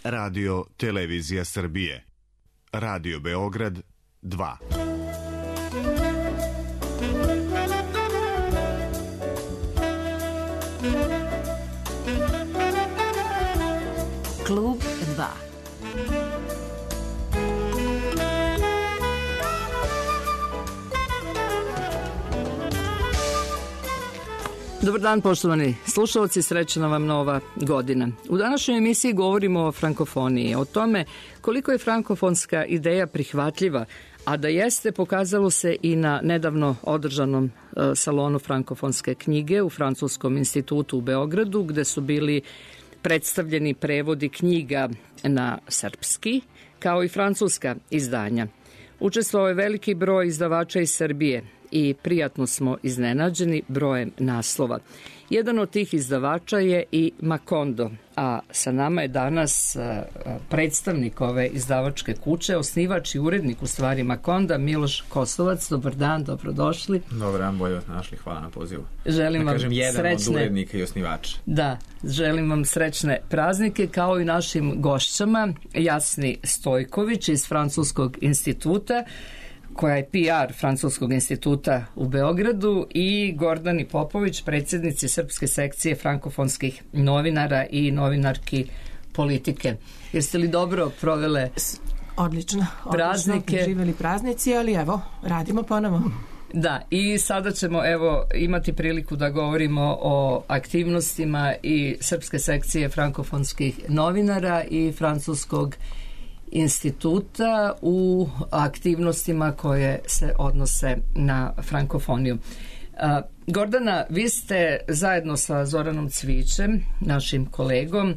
Radio Televizija Srbije. Radio Beograd 2. Klub 2. Dobar dan, poštovani slušalci, srećna vam nova godina. U današnjoj emisiji govorimo o frankofoniji, o tome koliko je frankofonska ideja prihvatljiva, a da jeste pokazalo se i na nedavno održanom salonu frankofonske knjige u Francuskom institutu u Beogradu, gde su bili predstavljeni prevodi knjiga na srpski, kao i francuska izdanja. Učestvovao je veliki broj izdavača iz Srbije i prijatno smo iznenađeni brojem naslova. Jedan od tih izdavača je i Macondo, a sa nama je danas predstavnik ove izdavačke kuće, osnivač i urednik u stvari Maconda, Miloš Kosovac. Dobar dan, dobrodošli. Dobar dan, bolje vas našli, hvala na pozivu. Želim vam jedan srećne... od urednika i osnivača. Da, želim vam srećne praznike, kao i našim gošćama, Jasni Stojković iz Francuskog instituta, koja je PR Francuskog instituta u Beogradu, i Gordani Popović, predsjednici Srpske sekcije frankofonskih novinara i novinarki politike. Jeste li dobro provele odlično praznike? Živeli praznici, ali evo, radimo ponovo. Da, i sada ćemo imati priliku da govorimo o aktivnostima i Srpske sekcije frankofonskih novinara i Francuskog instituta u aktivnostima koje se odnose na frankofoniju. Gordana, vi ste zajedno sa Zoranom Cvićem, našim kolegom,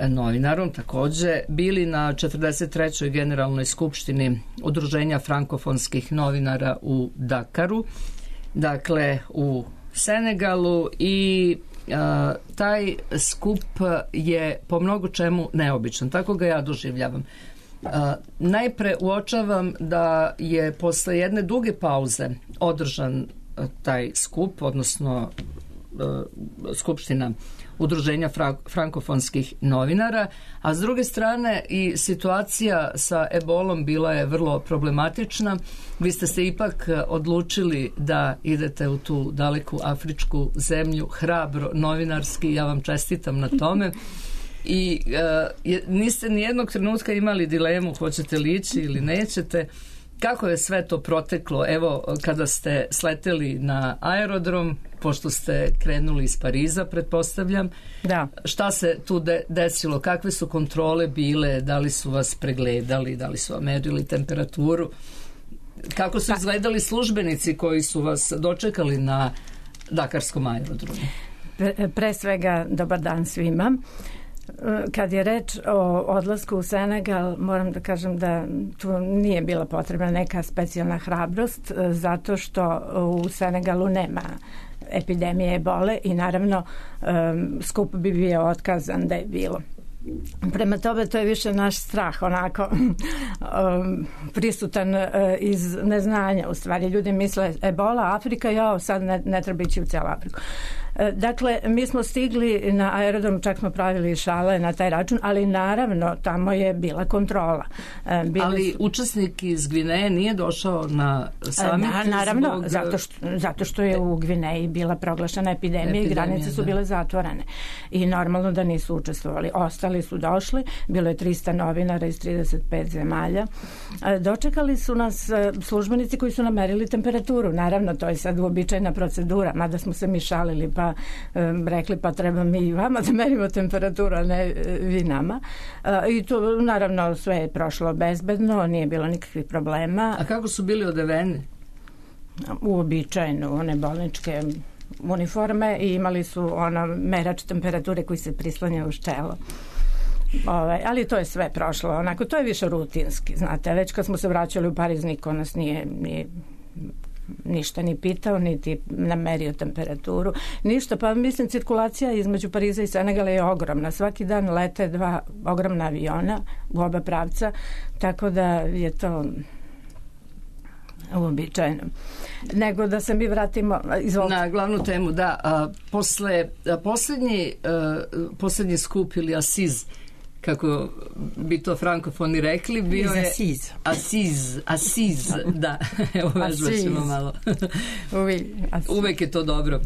novinarom takođe, bili na 43. generalnoj skupštini Udruženja frankofonskih novinara u Dakaru, dakle u Senegalu, i taj skup je po mnogo čemu neobičan, tako ga ja doživljavam. Najpre uočavam da je posle jedne duge pauze održan taj skup, odnosno skupština Udruženja frankofonskih novinara, a s druge strane i situacija sa ebolom bila je vrlo problematična. Vi ste se ipak odlučili da idete u tu daleku afričku zemlju hrabro, novinarski, ja vam čestitam na tome. I niste ni jednog trenutka imali dilemu hoćete li ići ili nećete. Kako je sve to proteklo? Evo, kada ste sleteli na aerodrom, pošto ste krenuli iz Pariza, pretpostavljam, da. Šta se tu desilo? Kakve su kontrole bile? Da li su vas pregledali? Da li su vam merili temperaturu? Kako su izgledali službenici koji su vas dočekali na Dakarskom aerodromu? Pre svega, dobar dan svima. Kad je reč o odlasku u Senegal, moram da kažem da tu nije bila potrebna neka specijalna hrabrost, zato što u Senegalu nema epidemije ebole i naravno skup bi bio otkazan da je bilo. Prema tome, to je više naš strah, onako prisutan iz neznanja. U stvari, ljudi misle ebola, Afrika, sad ne treba ići u cijelu Afriku. Dakle, mi smo stigli na aerodrom, čak smo pravili šale na taj račun, ali naravno tamo je bila kontrola. Ali učesnik iz Gvineje nije došao na samit? Naravno, zato što je u Gvineji bila proglašena epidemija i granice su bile zatvorene. I normalno da nisu učestvovali. Ostali su došli, bilo je 300 novinara iz 35 zemalja. Dočekali su nas službenici koji su namerili temperaturu. Naravno, to je sad uobičajena procedura, mada smo se mi šalili pa rekli pa treba mi i vama da merimo temperaturu, a ne vi nama. I to naravno sve je prošlo bezbedno, nije bilo nikakvih problema. A kako su bili odeveni? Uobičajeno, one bolničke uniforme, i imali su merač temperature koji se prislanja uz čelo. Ali to je sve prošlo, onako, to je više rutinski, znate, već kad smo se vraćali u Pariz niko nas nije ništa ni pitao, niti namerio temperaturu, ništa. Pa mislim, cirkulacija između Pariza i Senegala je ogromna. Svaki dan lete 2 ogromna aviona u oba pravca, tako da je to uobičajeno. Nego da se mi vratimo na glavnu temu. Da, posle posljednji skup ili asiz kako bi to frankofoni rekli, bio je Asiz, da, evo vežbat ćemo malo. Uvek je to dobro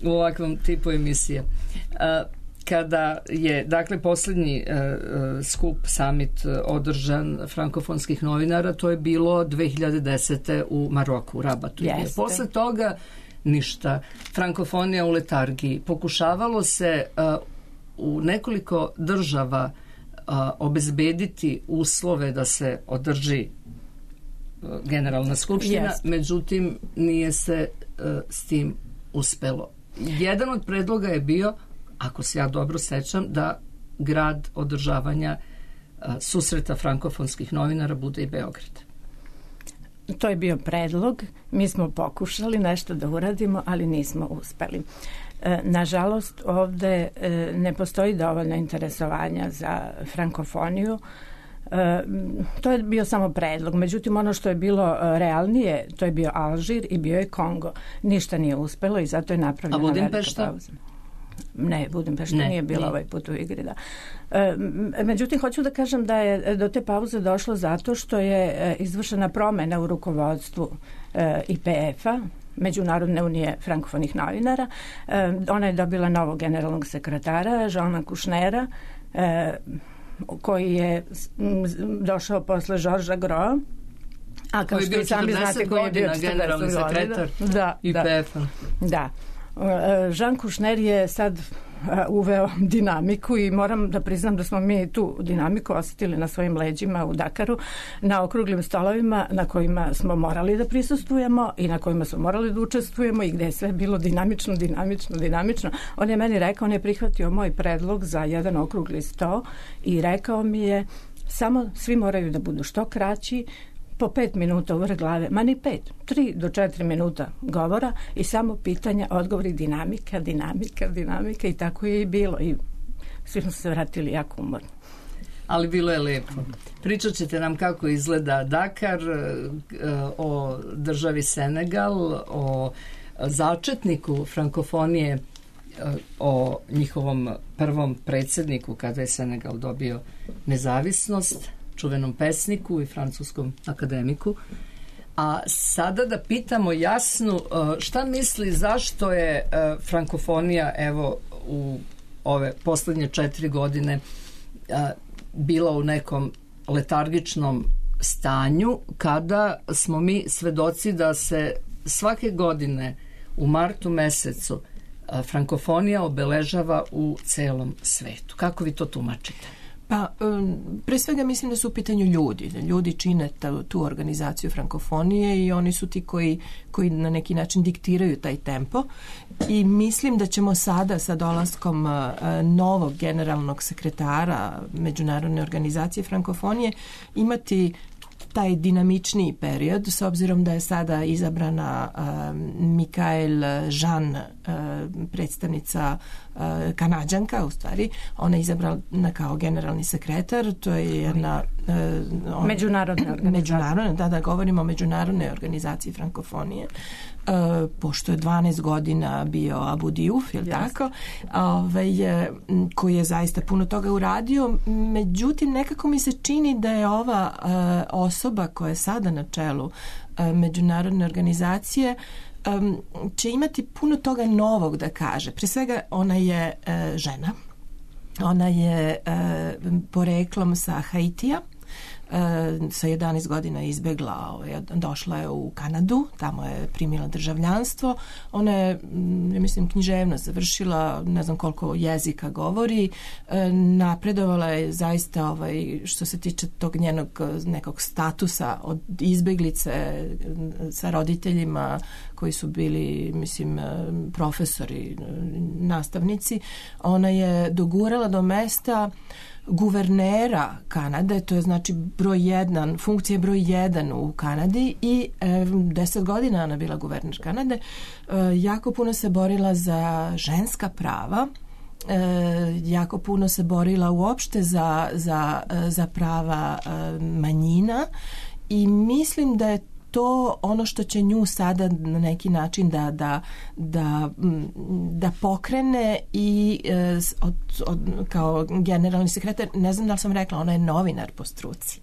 u ovakvom tipu emisije. Kada je, dakle, posljednji skup, summit održan frankofonskih novinara, to je bilo 2010. u Maroku, u Rabatu. Posle toga ništa. Frankofonija u letargiji. Pokušavalo se u nekoliko država obezbediti uslove da se održi generalna skupština, međutim nije se s tim uspelo. Jedan od predloga je bio, ako se ja dobro sećam, da grad održavanja susreta frankofonskih novinara bude i Beograd. To je bio predlog. Mi smo pokušali nešto da uradimo, ali nismo uspeli. Nažalost, ovde ne postoji dovoljno interesovanja za frankofoniju. To je bio samo predlog. Međutim, ono što je bilo realnije, to je bio Alžir i bio je Kongo. Ništa nije uspelo i zato je napravljena velika pauza. Ne, Budimpešta nije bila ovaj put u igri, da. Međutim, hoću da kažem da je do te pauze došlo zato što je izvršena promena u rukovodstvu IPF-a, Međunarodne unije frankofonih novinara. Ona je dobila novog generalnog sekretara, Jeana Kušnera, koji je došao posle Žorža Groa. A kao što i sami znate, koji je bio generalni sekretar IPF-a. Da. Jean Kušner je sad uveo dinamiku i moram da priznam da smo mi tu dinamiku osjetili na svojim leđima u Dakaru, na okruglim stolovima na kojima smo morali da prisustvujemo i na kojima smo morali da učestvujemo i gde je sve bilo dinamično. On je meni rekao, on je prihvatio moj predlog za jedan okrugli sto i rekao mi je, samo svi moraju da budu što kraći, po 5 minuta u vrh glave, ma ni 5, 3 do 4 minuta govora i samo pitanja, odgovori, dinamika i tako je i bilo i svi smo se vratili jako umorni. Ali bilo je lepo. Pričat ćete nam kako izgleda Dakar, o državi Senegal, o začetniku frankofonije, o njihovom prvom predsjedniku kada je Senegal dobio nezavisnost, čuvenom pesniku i francuskom akademiku. A sada da pitamo Jasnu šta misli zašto je frankofonija evo u ove poslednje 4 godine bila u nekom letargičnom stanju kada smo mi svedoci da se svake godine u martu mesecu frankofonija obeležava u celom svetu. Kako vi to tumačite? Pa, pre svega mislim da su u pitanju ljudi. Ljudi čine tu organizaciju frankofonije i oni su ti koji na neki način diktiraju taj tempo i mislim da ćemo sada sa dolaskom novog generalnog sekretara Međunarodne organizacije frankofonije imati taj dinamičniji period, s obzirom da je sada izabrana Mikael Jean, predstavnica Kanađanka, u stvari. Ona je izabrana kao generalni sekretar, to je jedna međunarodna, da govorimo o Međunarodnoj organizaciji frankofonije, pošto je 12 godina bio Abu Diouf, je li tako? Koji je zaista puno toga uradio. Međutim, nekako mi se čini da je ova osoba koja je sada na čelu Međunarodne organizacije će imati puno toga novog da kaže. Pre svega, ona je žena. Ona je poreklom sa Haitija. Sa 11 godina izbegla, došla je u Kanadu, tamo je primila državljanstvo. Ona je, ja mislim, književnost završila, ne znam koliko jezika govori, napredovala je zaista što se tiče tog njenog nekog statusa od izbeglice sa roditeljima koji su bili, mislim, profesori, nastavnici. Ona je dogurala do mesta guvernera Kanade, to je znači funkcija broj 1 u Kanadi i 10 godina ona bila guverner Kanade. Jako puno se borila za ženska prava, jako puno se borila uopšte za prava manjina i mislim da je to ono što će nju sada na neki način da pokrene i kao generalni sekretar, ne znam da li sam rekla, ona je novinar po struci.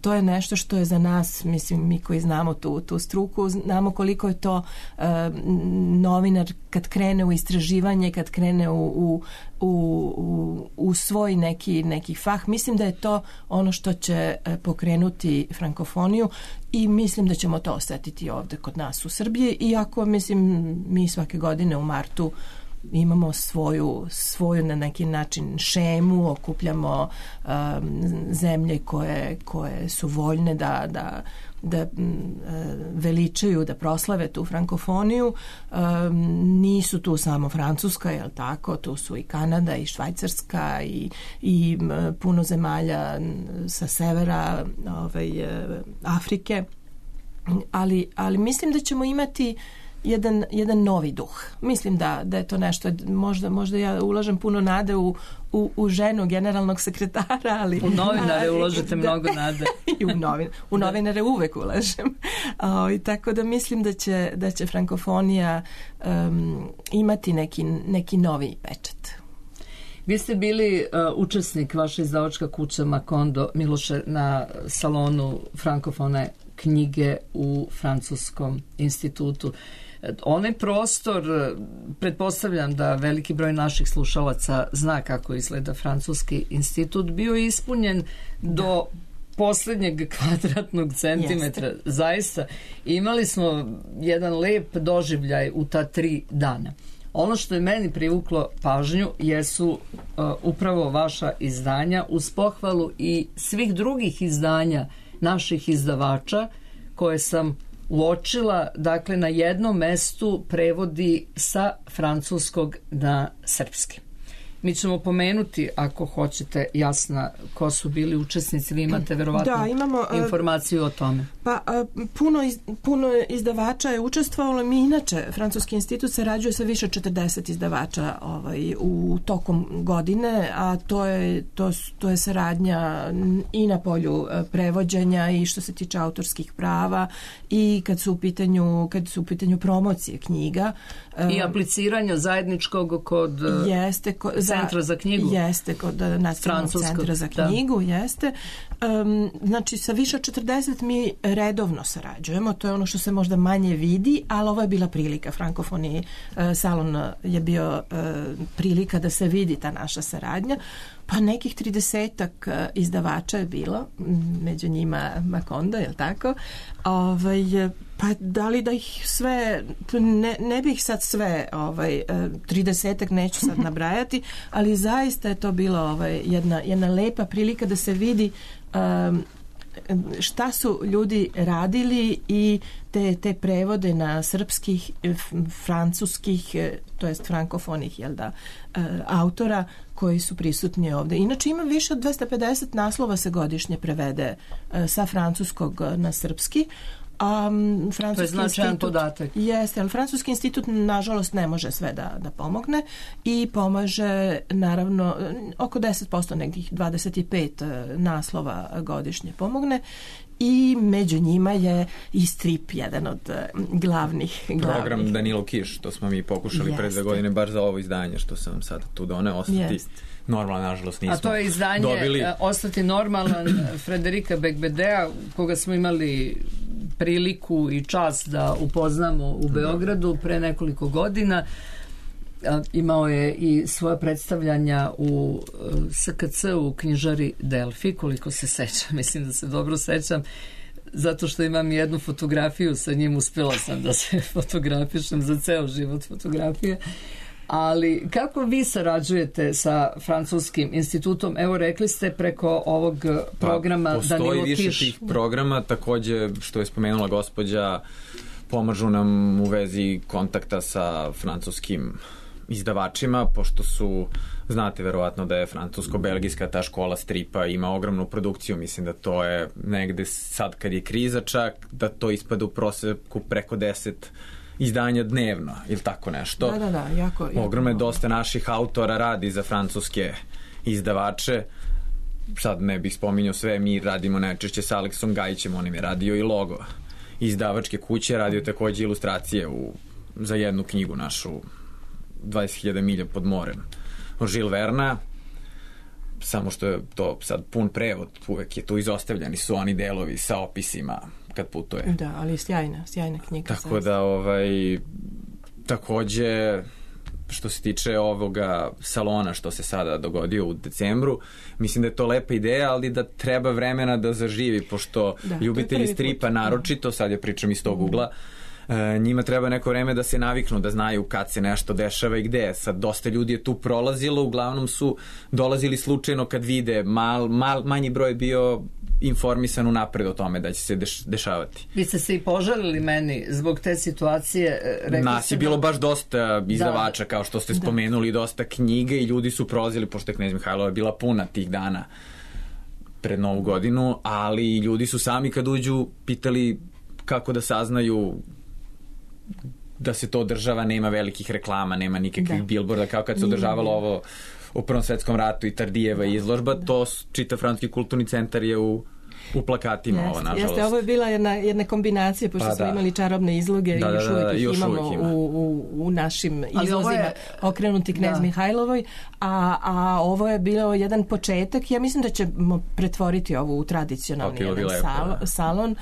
To je nešto što je za nas, mislim, mi koji znamo tu struku, znamo koliko je to novinar kad krene u istraživanje, kad krene u svoj neki fah. Mislim da je to ono što će pokrenuti frankofoniju i mislim da ćemo to osetiti ovde kod nas u Srbiji, iako mislim mi svake godine u martu imamo svoju na neki način šemu, okupljamo zemlje koje su voljne da veličaju, da proslave tu frankofoniju. Nisu tu samo Francuska, jel tako, tu su i Kanada i Švajcarska i puno zemalja sa severa Afrike, ali mislim da ćemo imati jedan novi duh. Mislim da je to nešto, možda ja ulažem puno nade u ženu generalnog sekretara, ali u novinare ulažete mnogo nade. I u novinare uvek ulažem. Tako da mislim da će frankofonija imati neki novi pečat. Vi ste bili učesnik, vaša izdavačka kuća Macondo, Miloše, na salonu frankofone knjige u Francuskom institutu. Onaj prostor, pretpostavljam da veliki broj naših slušalaca zna kako izgleda Francuski institut, bio je ispunjen do poslednjeg kvadratnog centimetra. Jeste. Zaista, imali smo jedan lep doživljaj u ta 3 dana. Ono što je meni privuklo pažnju jesu upravo vaša izdanja, uz pohvalu i svih drugih izdanja naših izdavača koje sam uočila, dakle na jednom mestu prevodi sa francuskog na srpski. Mi ćemo pomenuti, ako hoćete, Jasna, ko su bili učesnici, vi imate verovatno informaciju o tome. Pa puno izdavača je učestvovalo. Mi inače, Francuski institut sarađuje sa više od 40 izdavača u tokom godine, a to je saradnja i na polju prevođenja i što se tiče autorskih prava i kad su u pitanju promocije knjiga. I apliciranja zajedničkog kod Centra za knjigu. Jeste, kod Nacionalnog centra za knjigu, jeste. Znači, sa više od 40 mi redovno sarađujemo, to je ono što se možda manje vidi, ali ovo je bila prilika. Frankofoni salon je bio prilika da se vidi ta naša saradnja. Pa nekih 30-ak izdavača je bilo, među njima Macondo, je li tako? Pa da li da ih sve, ne bih sad sve 30-ak neću sad nabrajati, ali zaista je to bilo jedna lepa prilika da se vidi šta su ljudi radili i te prevode na srpskih, francuskih, to jest frankofonih, jel da, autora koji su prisutni ovde. Inače ima više od 250 naslova se godišnje prevede sa francuskog na srpski. To je značajan podatak. Jeste, ali Francuski institut nažalost ne može sve da pomogne i pomaže naravno oko 10%, nekih 25 naslova godišnje pomogne i među njima je i strip jedan od glavnih. Program Danilo Kiš, to smo mi pokušali pre 2 godine baš za ovo izdanje što sam sad tu doneo, ostati normalan, nažalost nismo dobili. A to je izdanje Ostati normalan Frederika Bekbedea, koga smo imali priliku i čast da upoznamo u Beogradu pre nekoliko godina. Imao je i svoja predstavljanja u SKC u knjižari Delfi, koliko se sećam, mislim da se dobro sećam, zato što imam jednu fotografiju sa njim, uspjela sam da se fotografišem za ceo život fotografije. Ali kako vi sarađujete sa Francuskim institutom? Evo, rekli ste preko ovog programa Danilo Kiš. Postoji više tih programa, takođe što je spomenula gospođa, pomažu nam u vezi kontakta sa francuskim izdavačima, pošto su, znate verovatno da je francusko-belgijska ta škola stripa ima ogromnu produkciju, mislim da to je negde sad kad je kriza čak, da to ispada u proseku preko 10 izdanja dnevno ili tako nešto. Da, jako. Ogromno je, dosta naših autora radi za francuske izdavače. Sad ne bih spominjao sve, mi radimo najčešće sa Aleksom Gajićem, on im je radio i logo. izdavačke kuće, radio takođe ilustracije za jednu knjigu našu 20.000 milja pod morem od Žil Verna, samo što je to sad pun prevod, uvek je tu izostavljeni su oni delovi sa opisima kad putuje. Da, ali sjajna knjiga. Tako da takođe što se tiče ovoga salona što se sada dogodio u decembru, mislim da je to lepa ideja, ali da treba vremena da zaživi, pošto ljubitelji stripa naročito, sad ja pričam iz tog ugla, njima treba neko vreme da se naviknu, da znaju kad se nešto dešava i gde. Sad dosta ljudi je tu prolazilo, uglavnom su dolazili slučajno kad vide, manji broj bio informisan unapred o tome da će se dešavati. Vi ste se i požalili meni zbog te situacije. Nas je bilo baš dosta izdavača, kao što ste spomenuli, dosta knjiga i ljudi su prolazili, pošto je Knez Mihajlova bila puna tih dana pred Novu godinu, ali ljudi su sami kad uđu pitali kako da saznaju da se to održava, nema velikih reklama, nema nikakvih bilborda, kao kad se održavalo ovo u Prvom svetskom ratu i Tardijeva izložba, to čitav francuski kulturni centar je u plakatima, ovo nažalost. Jeste, ovo je bila jedna kombinacija, pošto smo imali čarobne izloge i još uvijek imamo u našim izlozima okrenuti Knez Mihajlovoj, a ovo je bilo jedan početak. Ja mislim da ćemo pretvoriti ovo u tradicionalni salon,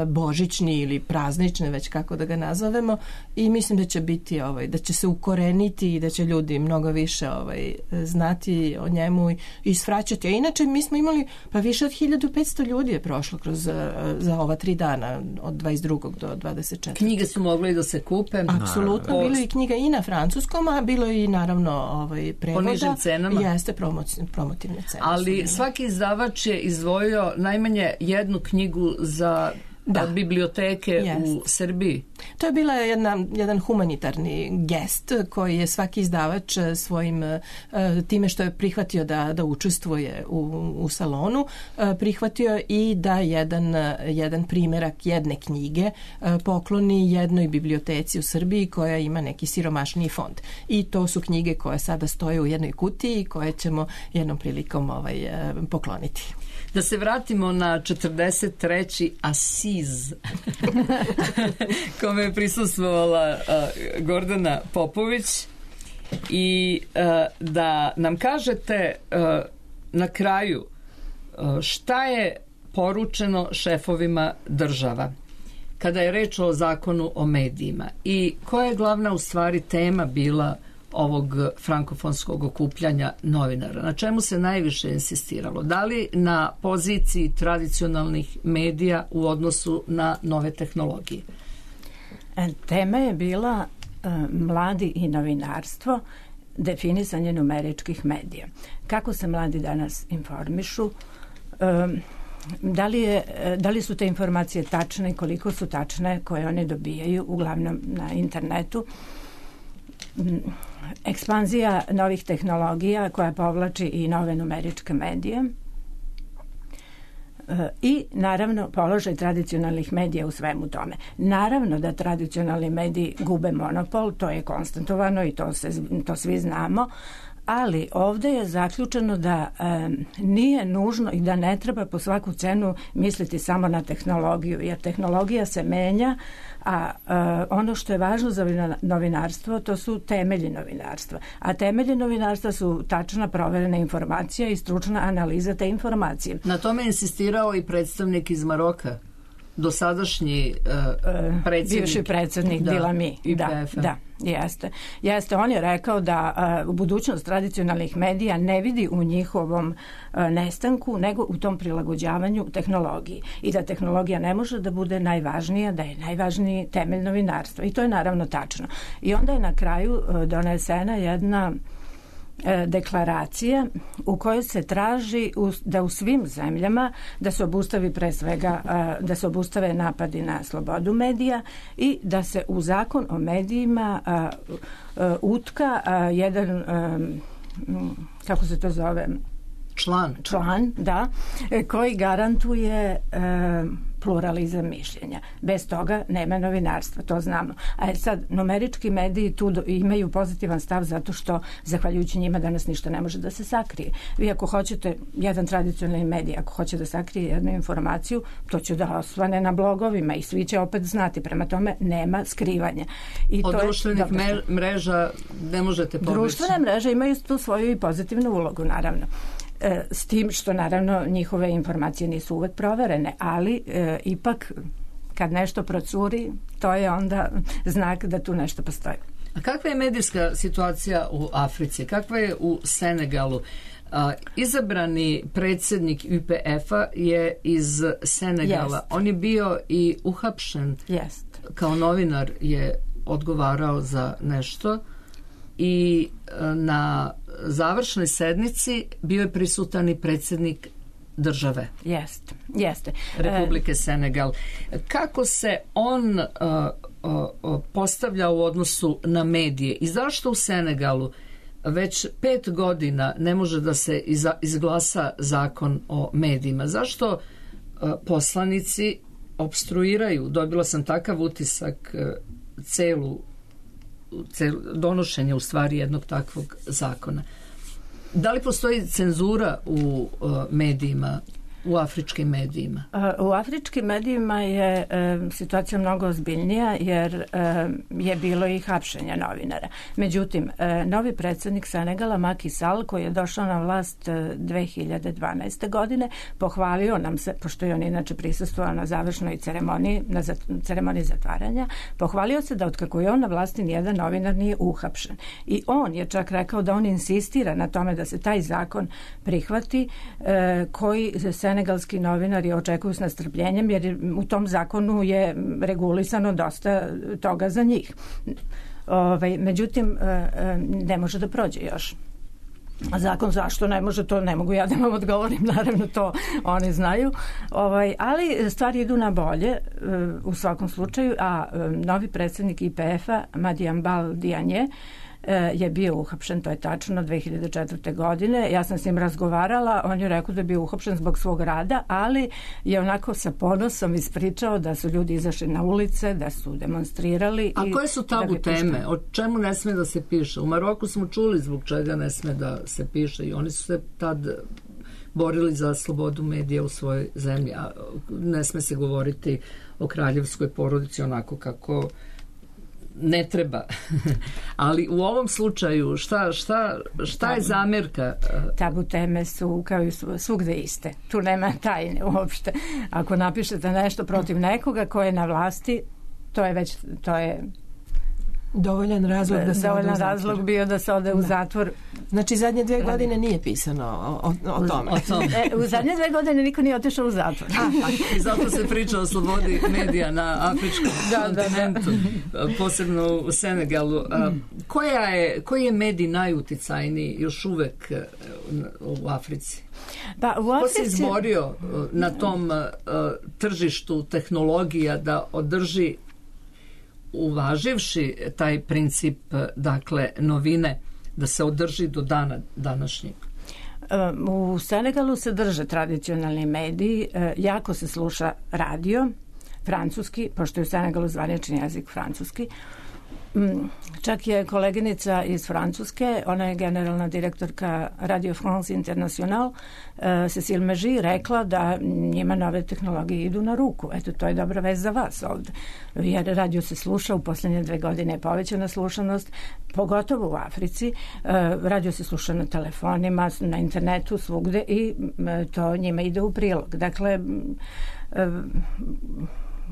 božićni ili praznični, već kako da ga nazovemo, i mislim da će biti, da će se ukoreniti i da će ljudi mnogo više znati o njemu i svraćati. A inače, mi smo imali više od 1500 ljudi je prošlo za ova 3 dana od 22. do 24. Knjige su mogle i da se kupe. Apsolutno, bilo i knjiga i na francuskom, a bilo i naravno prevoda. Po nižim cenama. Jeste promotivne cene. Ali svaki izdavač je izdvojio najmanje jednu knjigu za biblioteke u Srbiji. To je bila jedan humanitarni gest koji je svaki izdavač svojim time što je prihvatio da učestvuje u salonu, prihvatio i da jedan primjerak jedne knjige pokloni jednoj biblioteci u Srbiji koja ima neki siromašniji fond. I to su knjige koje sada stoje u jednoj kutiji i koje ćemo jednom prilikom pokloniti. Da se vratimo na 43. Asiz kome je prisustvovala Gordana Popović i da nam kažete na kraju šta je poručeno šefovima država kada je reč o zakonu o medijima i koja je glavna u stvari tema bila ovog frankofonskog okupljanja novinara. Na čemu se najviše insistiralo? Da li na poziciji tradicionalnih medija u odnosu na nove tehnologije? Tema je bila mladi i novinarstvo, definisanje numeričkih medija. Kako se mladi danas informišu? Da li su te informacije tačne i koliko su tačne koje one dobijaju, uglavnom na internetu? Ekspanzija novih tehnologija koja povlači i nove numeričke medije i naravno položaj tradicionalnih medija u svemu tome. Naravno da tradicionalni mediji gube monopol, to je konstatovano i to svi znamo, ali ovdje je zaključeno da nije nužno i da ne treba po svaku cenu misliti samo na tehnologiju, jer tehnologija se menja, a ono što je važno za novinarstvo to su temelji novinarstva. A temelji novinarstva su tačna proverena informacija i stručna analiza te informacije. Na tome je insistirao i predstavnik iz Maroka, dosadašnji predsjednik. Bivši predsjednik Dilami. Da, jeste. On je rekao da budućnost tradicionalnih medija ne vidi u njihovom nestanku, nego u tom prilagođavanju tehnologiji. I da tehnologija ne može da bude najvažnija, da je najvažniji temelj novinarstva. I to je naravno tačno. I onda je na kraju donesena jedna deklaracija u kojoj se traži da u svim zemljama da se obustavi pre svega da se obustave napadi na slobodu medija i da se u zakon o medijima utka jedan kako se to zove član, da, koji garantuje pluralizam mišljenja. Bez toga nema novinarstva, to znamo. A sad, numerički mediji tu imaju pozitivan stav zato što, zahvaljujući njima, danas ništa ne može da se sakrije. Vi ako hoćete, jedan tradicionalni medij, ako hoće da sakrije jednu informaciju, to će da osvane na blogovima i svi će opet znati. Prema tome, nema skrivanja. I od društvenih mreža ne možete pobeći. Društvene mreže imaju tu svoju i pozitivnu ulogu, naravno. S tim što, naravno, njihove informacije nisu uvek proverene, ali ipak kad nešto procuri, to je onda znak da tu nešto postoji. A kakva je medijska situacija u Africi? Kakva je u Senegalu? Izabrani predsjednik UPF-a je iz Senegala. On je bio i uhapšen. Kao novinar je odgovarao za nešto i na završnoj sednici bio je prisutan i predsjednik države. Jeste. Republike Senegal. Kako se on postavlja u odnosu na medije i zašto u Senegalu već 5 godina ne može da se izglasa zakon o medijima? Zašto poslanici opstruiraju? Dobila sam takav utisak celu donošenje u stvari jednog takvog zakona. Da li postoji cenzura u medijima, u afričkim medijima? U afričkim medijima je situacija mnogo ozbiljnija jer je bilo i hapšenja novinara. Međutim, novi predsjednik Senegala, Macky Sall, koji je došao na vlast 2012. godine, pohvalio nam se, pošto je on inače prisustvovao na završnoj ceremoniji, na ceremoniji zatvaranja, pohvalio se da otkako je on na vlasti nijedan novinar nije uhapšen. I on je čak rekao da on insistira na tome da se taj zakon prihvati koji senegalski novinari očekuju s nestrpljenjem, jer u tom zakonu je regulisano dosta toga za njih. Međutim, ne može da prođe još. A zakon zašto ne može, to ne mogu ja da vam odgovorim, naravno to oni znaju. Ali stvari idu na bolje u svakom slučaju, a novi predsjednik IPF-a, Madiambal Diagne, je bio uhapšen, to je tačno, 2004. godine. Ja sam s njim razgovarala, on je rekao da je bio uhapšen zbog svog rada, ali je onako sa ponosom ispričao da su ljudi izašli na ulice, da su demonstrirali. A koje su tabu teme? O čemu ne sme da se piše? U Maroku smo čuli zbog čega ne sme da se piše i oni su se tad borili za slobodu medija u svojoj zemlji. A ne sme se govoriti o kraljevskoj porodici onako kako ne treba. Ali u ovom slučaju šta je zamjerka? Tabu teme su kao i svugde iste. Tu nema tajne uopšte. Ako napišete nešto protiv nekoga ko je na vlasti, to je dovoljan razlog da se ode u zatvor. Razlog bio da se ode u zatvor. Znači zadnje 2 godine nije pisano o tome. U zadnje 2 godine niko nije otišao u zatvor. I zato se priča o slobodi medija na afričkom kontinentu, posebno u Senegalu. Koji je medij najuticajniji još uvek u Africi? Ko se izborio na tom tržištu tehnologija da održi, uvaživši taj princip, dakle, novine, da se održi do dana današnjeg? U Senegalu se drže tradicionalni mediji, jako se sluša radio, francuski, pošto je u Senegalu zvanični jezik francuski. Čak je koleginica iz Francuske, ona je generalna direktorka Radio France International, Cécile Megy, rekla da njima nove tehnologije idu na ruku. Eto, to je dobra vest za vas ovde. Jer radio se sluša, u posljednje 2 godine je povećana slušanost, pogotovo u Africi. Radio se sluša na telefonima, na internetu, svugde i to njima ide u prilog. Dakle,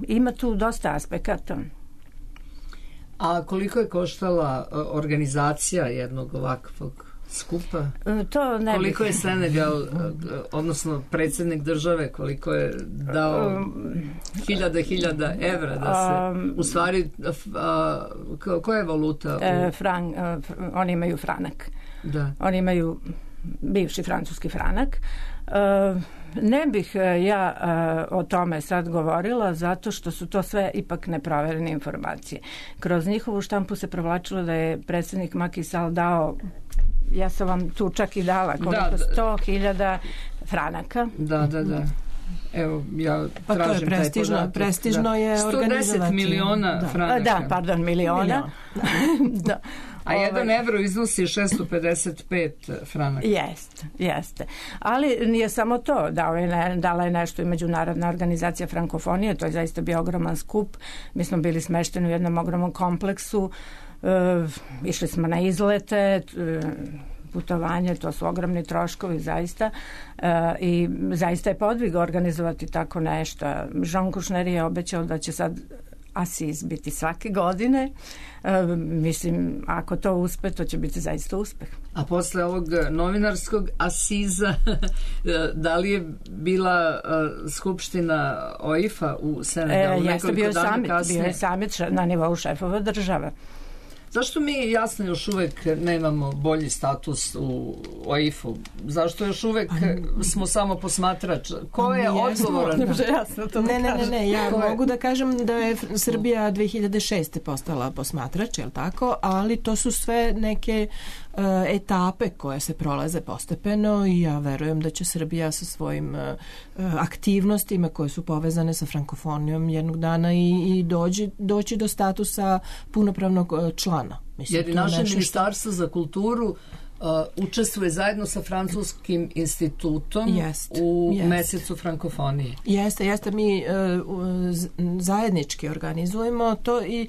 ima tu dosta aspekata. A koliko je koštala organizacija jednog ovakvog skupa? To ne koliko je Senegal, odnosno predsjednik države, koliko je dao hiljada evra da se, u stvari, koja je valuta? Oni imaju franak. Da. Oni imaju bivši francuski franak. Ne bih ja o tome sad govorila zato što su to sve ipak neproverene informacije. Kroz njihovu štampu se provlačilo da je predsjednik Macky Sall dao, ja sam vam tu čak i dala, 100.000 franaka. Da. Evo, ja pa tražim to je prestižno je organizovati. 110 miliona franaka. Da, pardon, miliona. Da. A 1 evro iznosi 655 franaka. Jeste. Ali nije samo to. Dala je nešto i Međunarodna organizacija frankofonije. To je zaista bio ogroman skup. Mi smo bili smešteni u jednom ogromnom kompleksu. Išli smo na izlete, putovanje, to su ogromni troškovi zaista i zaista je podvig organizovati tako nešto. Jean Kouchner je obećao da će sad Asiz biti svake godine. Mislim, ako to uspe, to će biti zaista uspeh. A posle ovog novinarskog Asiza, da li je bila skupština OIF-a u Senegalu nekoliko dana kasnije? Bio je samit na nivou šefova države. Zašto mi jasno još uvek nemamo bolji status u OIF-u? Zašto još uvek smo samo posmatrač? Ko je odgovoran? Ne, ja mogu da kažem da je Srbija 2006. postala posmatrač, je li tako? Ali to su sve neke etape koje se prolaze postepeno i ja verujem da će Srbija sa svojim aktivnostima koje su povezane sa frankofonijom jednog dana i doći do statusa punopravnog člana. Mislim, jer i naše ministarstvo za kulturu učestvuje zajedno sa Francuskim institutom u mesecu frankofonije. Jeste, mi zajednički organizujemo to i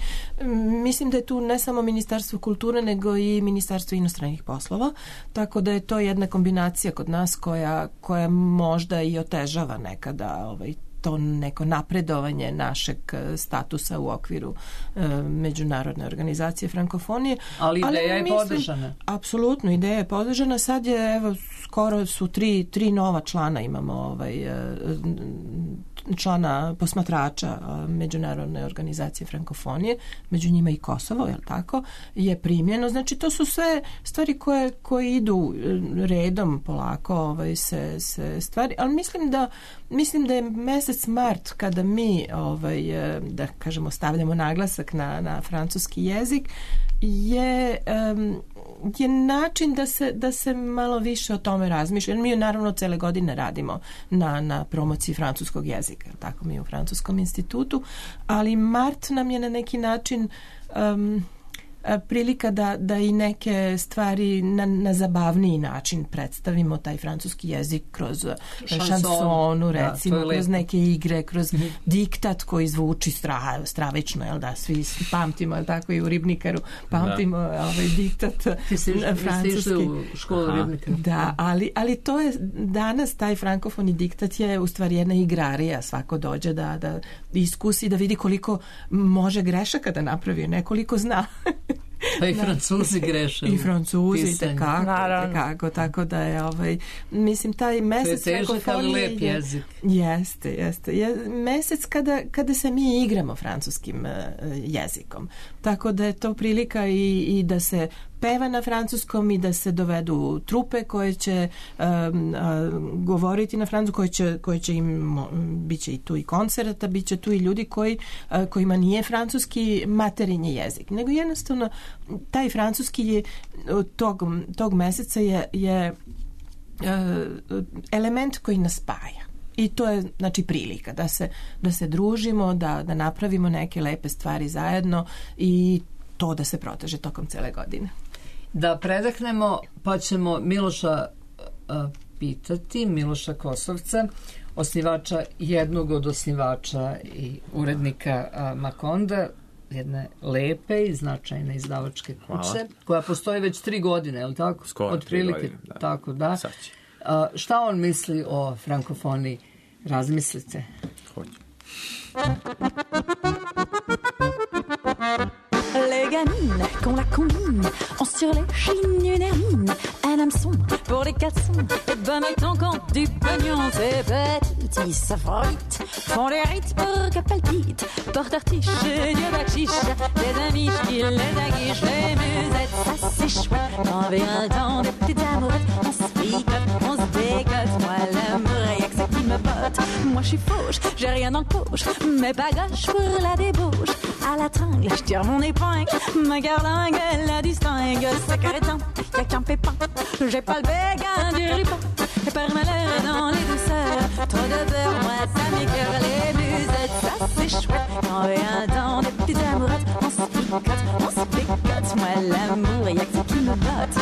mislim da je tu ne samo Ministarstvo kulture nego i Ministarstvo inostranih poslova, tako da je to jedna kombinacija kod nas koja možda i otežava nekada to neko napredovanje našeg statusa u okviru Međunarodne organizacije frankofonije. Ali ideja je podržana. Apsolutno, ideja je podržana. Sad je, evo, skoro su tri nova člana imamo, člana posmatrača Međunarodne organizacije frankofonije, među njima i Kosovo, je li tako, je primljeno. Znači, to su sve stvari koje idu redom polako se stvari, ali mislim da je mesec mart kada mi da kažemo stavljamo naglasak na francuski jezik je način da se malo više o tome razmišlja. Mi naravno cele godine radimo na promociji francuskog jezika, tako mi u Francuskom institutu, ali mart nam je na neki način prilika da i neke stvari na zabavniji način predstavimo taj francuski jezik kroz šansonu, recimo, kroz neke igre, kroz diktat koji zvuči stravično, jel da, svi pamtimo, jel tako, i u Ribnikaru pamtimo diktat francuski. U školu Ribnikaru. Da, ali to je danas taj frankofoni diktat je u stvari jedna igrarija, svako dođe da iskusi, da vidi koliko može grešaka da napravi, nekoliko zna. Pa i Francuzi greše. I Francuzi, tekako, tako da je mislim, taj mesec frankofonije lep jezik. Jeste. Mesec kada se mi igramo francuskim jezikom. Tako da je to prilika i da se peva na francuskom i da se dovedu trupe koje će govoriti na francuskom, koje će im, bit će i tu i koncerta, bit će tu i ljudi kojima nije francuski materinji jezik, nego jednostavno taj francuski je tog meseca je element koji nas spaja. I to je, znači, prilika da se družimo, da napravimo neke lepe stvari zajedno i to da se proteže tokom cele godine. Da predahnemo, pa ćemo Miloša pitati, Miloša Kosovca, jednog od osnivača i urednika Makonda, jedne lepe i značajne izdavačke kuće, koja postoji već 3 godine, je li tako? Skoro 3 godine, da. Tako, da. Šta on misli o frankofoniji? Razmislite. Hoće. Les gamines, qu'on la combine, ont sur les chines une hermine, un hameçon pour les 400, et ben mettons compte du pognon, ces petits saffroites, font les rites pour que palpite, porte artiche, Dieu bacchiche, les amis qui les aguichent, les musettes, ça c'est chouette, on vient le temps des petites amourettes, on se picote, on se décote, moi l'amour, y'a que ça qui me botte, moi je suis fauche, j'ai rien dans le poche, mais pas gauche pour la débauche, à la tringle, je tire mon épingle, ma garlingue, elle la distingue, c'est crétin, y'a qu'un pépin, j'ai pas le béguin du ripon, et par malheur dans les douceurs, trop de beurre, moi ça m'écœure les musettes, ça c'est chouette. Quand vient dans des petites amourettes, on se picote, moi l'amour, y'a que ça qui me botte.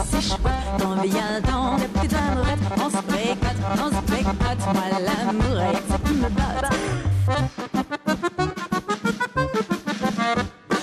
C'est chouette, on vient dans des petites amourettes, on se bécote, moi l'amour, y'a que ça qui me botte.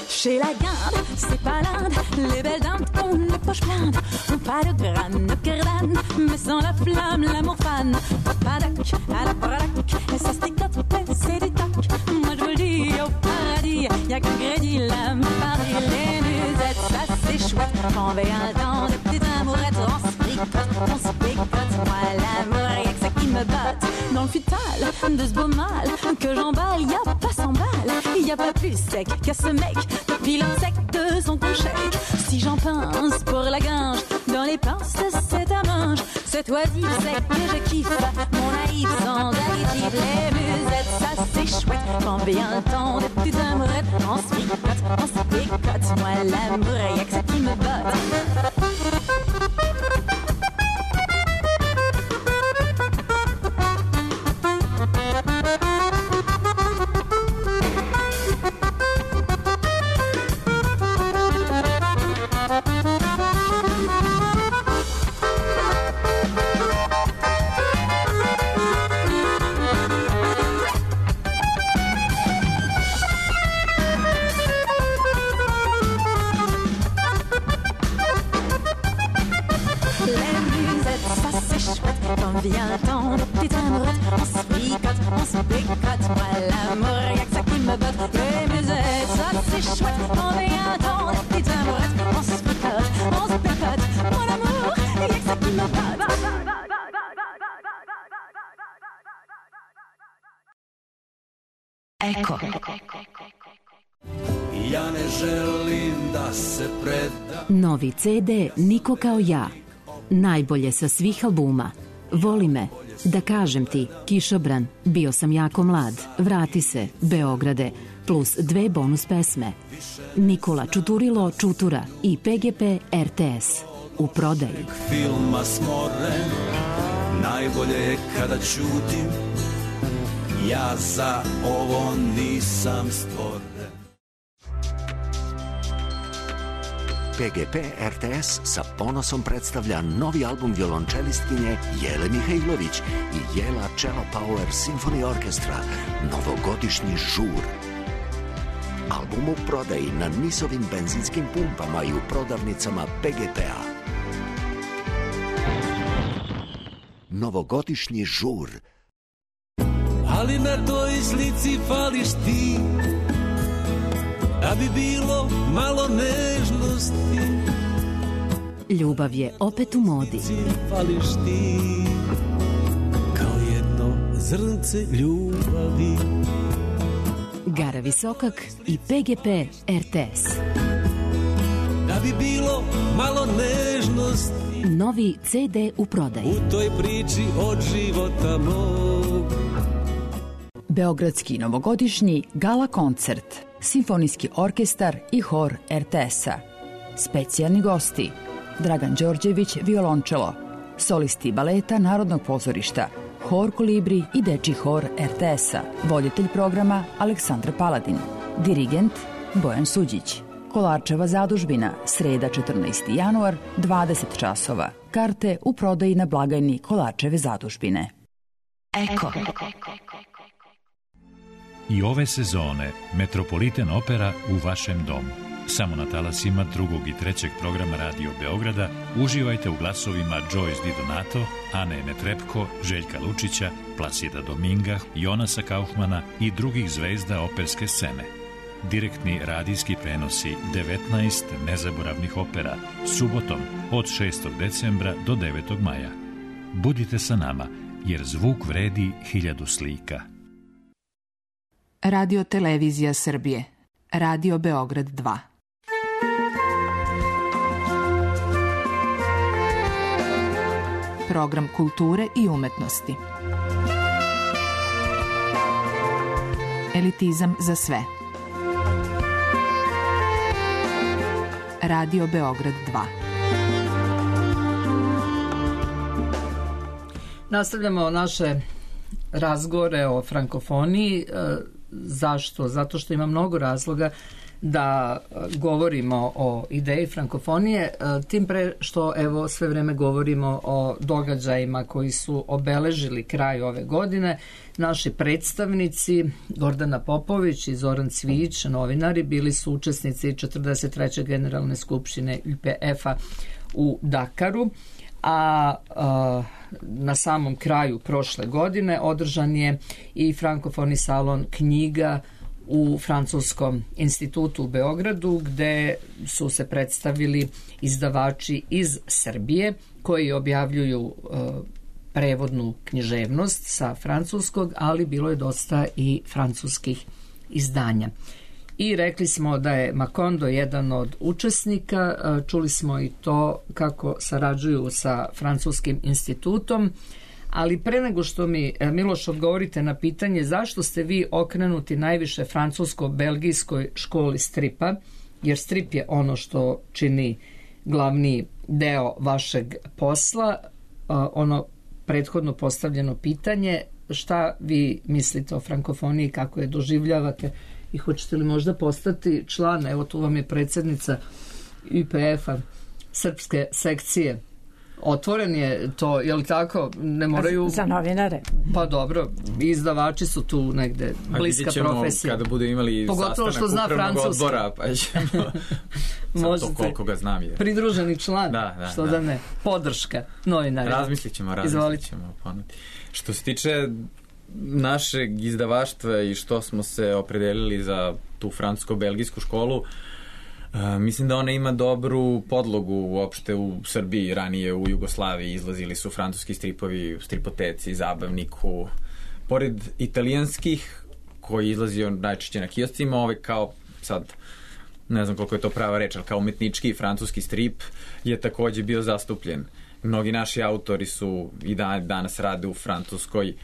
Chez la guinde, c'est pas l'Inde, les belles dames ont les poches pleines, ont pas de graines, de cardane, mais sans la flamme, l'amour fan. Padac, à la parac, et ça se décote, c'est des tacs. Moi je vous le dis, au paradis, y'a qu'un crédit, l'âme Paris, les musettes, ça c'est chouette. On vient dans des petites amourettes, on se picote, moi l'amour, y'a que ça qui me botte. Dans le futal de ce beau mal que j'emballe, y'a pas 100 balles, y'a pas plus sec qu'à ce mec, depuis sec de son coucher. Si j'en pince pour la gange, dans les pinces c'est ta manche. Cet oisif sec que je kiffe, mon naïf sans additif. Les musettes, ça c'est chouette, quand vient le temps des petites amourettes, on se picote, moi l'amour, y'a que ça qui me botte. Viens dans des petites amourettes, on se picote, moi l'amour, y'a que ça qui me botte. Les musettes, ça c'est chouette, on vient dans des petites amourettes, on se picote, moi l'amour, y'a que ça qui me botte. Eko. Ja ne želim da se predam. Novi CD Niko kao ja. Najbolje sa svih albuma. Voli me, da kažem ti, Kišobran, bio sam jako mlad, vrati se, Beograde, plus 2 bonus pesme. Nikola Čuturilo Čutura i PGP RTS. U prodaji. Filma smoren, najbolje je kada ćutim, ja za ovo nisam stvoren. PGP RTS sa ponosom predstavlja novi album violončelistkinje Jele Mihajlović i Jela Cello Power Symphony Orchestra, novogodišnji žur. Album u prodaji na NIS-ovim benzinskim pumpama i u prodavnicama PGP-a. Novogodišnji žur. Ali na toj slici fališ ti, da bi bilo malo nežnosti. Ljubav je opet u modi. Fališ ti, kao jedno zrnce ljubavi. Gara Visokak i PGP RTS. Da bi bilo malo nežnosti. Novi CD u prodaji. U toj priči od života mog. Beogradski novogodišnji gala koncert, Simfonijski orkestar i hor RTS-a. Specijalni gosti: Dragan Đorđević, violončelo, solisti baleta Narodnog pozorišta, hor Kolibri i dečji hor RTS-a, voditelj programa Aleksandra Paladin, dirigent Bojan Suđić. Kolarčeva zadužbina, sreda 14. januar, 20 časova. Karte u prodaji na blagajni Kolarčeve zadužbine. Eko. I ove sezone Metropolitan Opera u vašem domu. Samo na talasima 2. i 3. programa Radio Beograda uživajte u glasovima Joyce Di Donato, Ane Netrepko, Željka Lučića, Plasida Dominga, Jonasa Kaufmana i drugih zvezda operske scene. Direktni radijski prenosi 19 nezaboravnih opera subotom od 6. decembra do 9. maja. Budite sa nama, jer zvuk vredi 1000 slika. Radio Televizija Srbije. Radio Beograd 2. program kulture i umetnosti. Elitizam za sve. Radio Beograd 2. Nastavljamo naše razgovore o frankofoniji. Zašto? Zato što ima mnogo razloga da govorimo o ideji frankofonije, tim pre što evo sve vreme govorimo o događajima koji su obeležili kraj ove godine. Naši predstavnici Gordana Popović i Zoran Cvijić, novinari, bili su učesnici 43. generalne skupštine UPF-a u Dakaru, a na samom kraju prošle godine održan je i frankofoni salon knjiga u Francuskom institutu u Beogradu, gde su se predstavili izdavači iz Srbije koji objavljuju prevodnu književnost sa francuskog, ali bilo je dosta i francuskih izdanja. I rekli smo da je Macondo jedan od učesnika, čuli smo i to kako sarađuju sa Francuskim institutom, ali pre nego što mi, Miloš, odgovorite na pitanje zašto ste vi okrenuti najviše francusko-belgijskoj školi stripa, jer strip je ono što čini glavni deo vašeg posla, ono prethodno postavljeno pitanje, šta vi mislite o frankofoniji, kako je doživljavate i hoćete li možda postati član, evo tu vam je predsjednica UPF-a, srpske sekcije. Otvoren je to, je li tako? Ne moraju... Za novinare. Pa dobro, izdavači su tu negde, bliska profesija. Kada budu imali pogotovo sastanak upravnog odbora, pa ćemo... Možete, to koliko ga znam je. Pridruženi član, što da ne. Podrška novinara. Razmislit ćemo. Što se tiče našeg izdavaštva i što smo se opredelili za tu francusko-belgijsku školu, mislim da ona ima dobru podlogu uopšte u Srbiji. Ranije u Jugoslaviji izlazili su francuski stripovi u Stripoteci, Zabavniku, pored italijanskih koji izlazio najčešće na kioscima, kao sad ne znam koliko je to prava reč, ali kao umetnički francuski strip je takođe bio zastupljen. Mnogi naši autori su i danas rade u Francuskoj,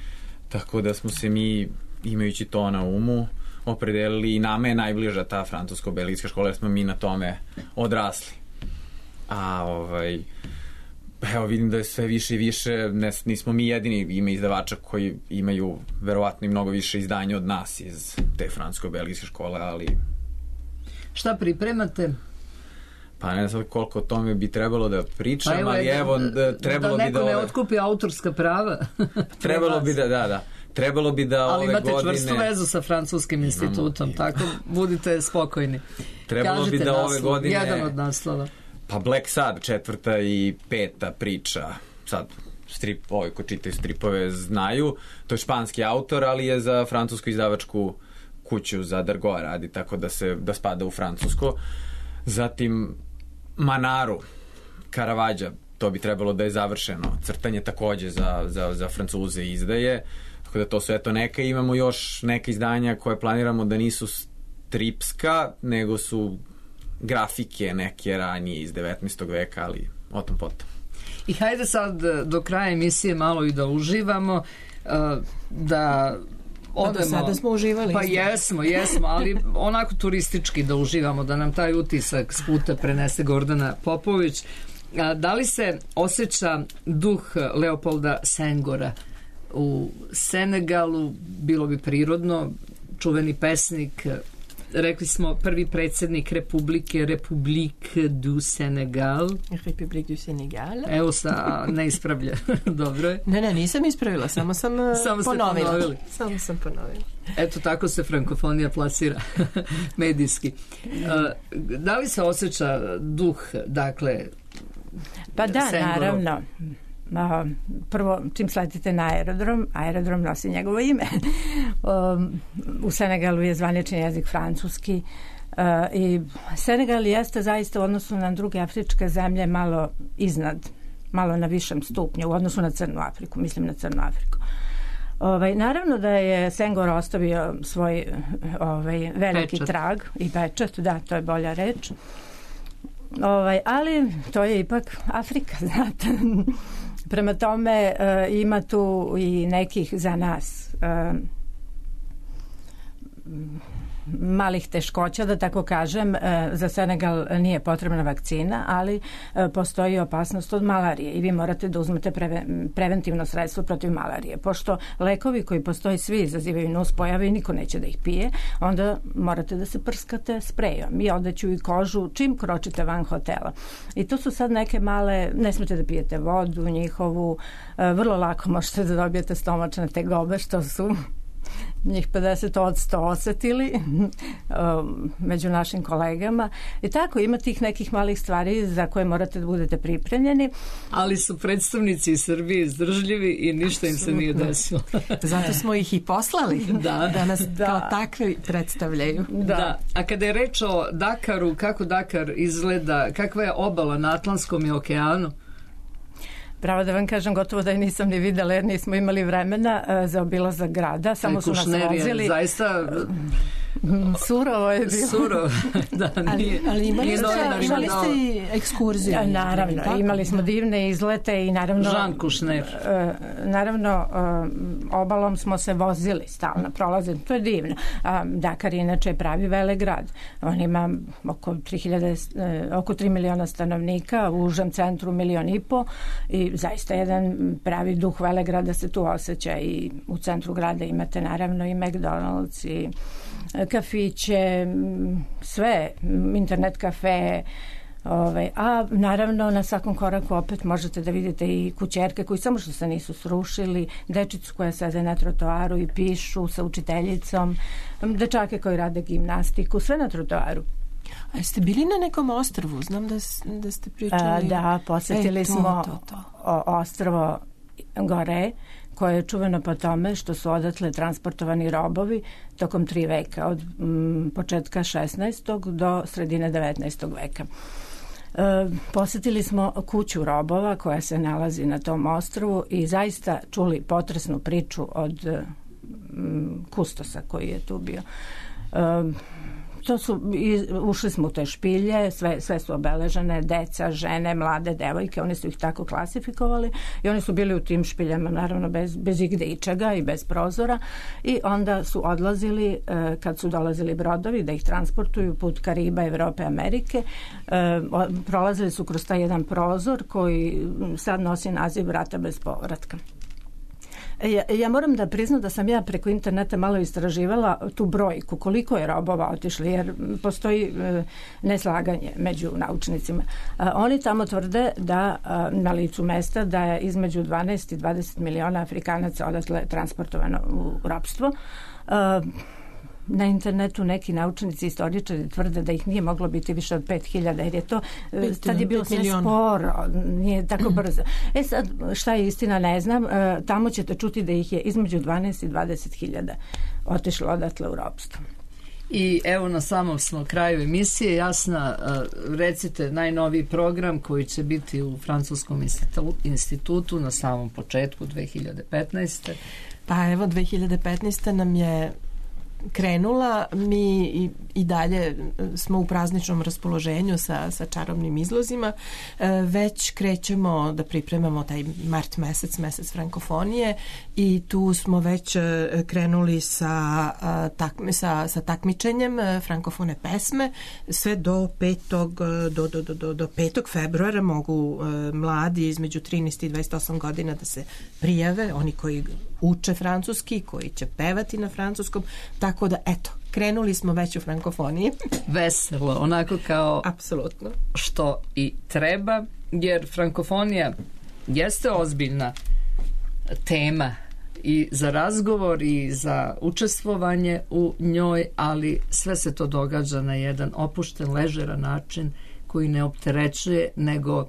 tako da smo se mi, imajući to na umu, opredelili i nama je najbliža ta francusko-belgijska škola jer smo mi na tome odrasli. A evo vidim da je sve više i više, nismo mi jedini, ima izdavača koji imaju verovatno i mnogo više izdanja od nas iz te francusko-belgijske škole, ali... Šta pripremate? Pa ne znam koliko o tome bi trebalo da pričam, ali evo trebalo bi da... Da neko ne otkupi autorska prava. Trebalo bi da. Trebalo bi da ove godine... Ali imate čvrstu vezu sa Francuskim institutom, tako budite spokojni. Trebalo bi da ove godine... Jedan od naslova. Pa Black Sad, 4. i 5. priča. Sad, ovi ko čitaju stripove znaju. To je španski autor, ali je za francusku izdavačku kuću za Dargaud radi, tako da spada u francusko. Zatim Manaru, Caravaggio, to bi trebalo da je završeno. Crtanje takođe za Francuze izdaje. Tako da to su neka. Imamo još neka izdanja koje planiramo da nisu stripska, nego su grafike neke ranije iz 19. veka, ali o tom potom. I hajde sad do kraja emisije malo i da uživamo, da odemo... Do sada smo uživali. Pa jesmo, ali onako turistički da uživamo, da nam taj utisak s puta prenese Gordana Popović. Da li se osjeća duh Leopolda Sengora u Senegalu? Bilo bi prirodno, čuveni pesnik, rekli smo prvi predsjednik Republike, Republique du Senegal. Republique du Senegal. Evo ne ispravlja. Dobro je. Ne, nisam ispravila, samo sam ponovila. Samo sam ponovila. Eto, tako se frankofonija plasira medijski. Da li se osjeća duh, dakle, pa da, Sengorov? Naravno. Prvo, čim sletite na aerodrom nosi njegovo ime. U Senegalu je zvanični jezik francuski i Senegal jeste zaista u odnosu na druge afričke zemlje malo iznad, malo na višem stupnju u odnosu na Crnu Afriku, mislim na Crnu Afriku. Naravno da je Senghor ostavio svoj veliki trag i pečat, da, to je bolja reč. Ali to je ipak Afrika, znate. Prema tome ima tu i nekih za nas malih teškoća, da tako kažem. Za Senegal nije potrebna vakcina, ali postoji opasnost od malarije i vi morate da uzmete preventivno sredstvo protiv malarije. Pošto lekovi koji postoji svi izazivaju nuspojave i niko neće da ih pije, onda morate da se prskate sprejom i odeću i kožu čim kročite van hotela. I to su sad neke male, ne smete da pijete vodu njihovu, vrlo lako možete da dobijete stomačne tegobe, što su njih 50% osetili među našim kolegama. I tako, ima tih nekih malih stvari za koje morate da budete pripremljeni. Ali su predstavnici Srbije izdržljivi i ništa im se nije desilo. Zato smo ih i poslali da nas kao takve predstavljaju. Da. A kada je reč o Dakaru, kako Dakar izgleda, kakva je obala na Atlantskom i okeanu? Pravo da vam kažem, gotovo da je nisam ni videla jer nismo imali vremena za obilazak grada. Samo su nas vozili. Zaista surovo je bilo. Surovo, da. Ali imali ste i ekskurziju. Naravno, imali smo divne izlete i naravno... Jean Kušner. Naravno, obalom smo se vozili stalno, prolazili. To je divno. Dakar inače je pravi velegrad. On ima oko 3 miliona stanovnika, u užem centru 1,5 miliona i zaista jedan pravi duh velegrada se tu osjeća i u centru grada imate naravno i McDonald's i kafiće, sve, internet kafe, a naravno na svakom koraku opet možete da vidite i kućerke koji samo što se nisu srušili, dečicu koja sede na trotoaru i pišu sa učiteljicom, dečake koji rade gimnastiku, sve na trotoaru. A jeste bili na nekom ostrvu? Znam da ste pričali... Da, posetili smo ostrvo Gore, koje je čuveno po tome što su odatle transportovani robovi tokom 3 veka, od početka 16. do sredine 19. veka. Posetili smo kuću robova koja se nalazi na tom ostrvu i zaista čuli potresnu priču od kustosa koji je tu bio. Ušli smo u te špilje, sve su obeležene, deca, žene, mlade devojke, oni su ih tako klasifikovali i oni su bili u tim špiljama naravno bez igde ičega i bez prozora i onda su odlazili kad su dolazili brodovi da ih transportuju put Kariba, Evrope, Amerike, prolazili su kroz taj jedan prozor koji sad nosi naziv vrata bez povratka. Ja moram da priznam da sam ja preko interneta malo istraživala tu brojku, koliko je robova otišli, jer postoji neslaganje među naučnicima. Oni tamo tvrde da na licu mesta da je između 12 i 20 miliona Afrikanaca odatle transportovano u ropstvo. Na internetu neki naučnici i istoričari tvrde da ih nije moglo biti više od 5.000 jer je to, tad je bilo sve sporo, nije tako brzo. Sad, šta je istina ne znam, tamo ćete čuti da ih je između 12 i 20.000 otišlo odatle u ropstvo. I evo na samom smo kraju emisije. Jasna, recite najnoviji program koji će biti u Francuskom institutu na samom početku 2015. Pa evo 2015. nam je krenula, mi i dalje smo u prazničnom raspoloženju sa čarobnim izlozima. Već krećemo da pripremamo taj mart mesec frankofonije i tu smo već krenuli sa takmičenjem frankofone pesme. Sve do 5. februara mogu mladi između 13 i 28 godina da se prijave, oni koji uče francuski, koji će pevati na francuskom, tako da eto, krenuli smo već u frankofoniji. Veselo, onako kao apsolutno što i treba, jer frankofonija jeste ozbiljna tema i za razgovor i za učestvovanje u njoj, ali sve se to događa na jedan opušten, ležeran način koji ne opterećuje, nego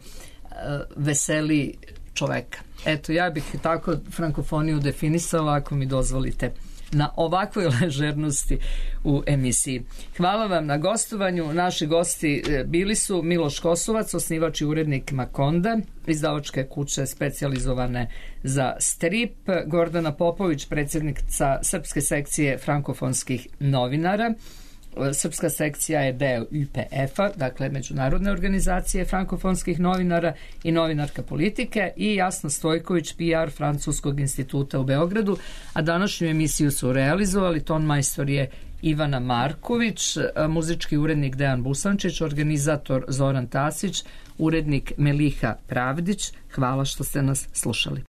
veseli čoveka. Eto, ja bih tako frankofoniju definisala, ako mi dozvolite, na ovakvoj ležernosti u emisiji. Hvala vam na gostovanju. Naši gosti bili su Miloš Kosovac, osnivač i urednik Makonda, izdavačke kuće specijalizovane za strip, Gordana Popović, predsjednica srpske sekcije frankofonskih novinara, srpska sekcija je deo UPF-a, dakle Međunarodne organizacije frankofonskih novinara i novinarka politike, i Jasna Stojković, PR Francuskog instituta u Beogradu, a današnju emisiju su realizovali ton majstor je Ivana Marković, muzički urednik Dejan Busančić, organizator Zoran Tasić, urednik Meliha Pravdić. Hvala što ste nas slušali.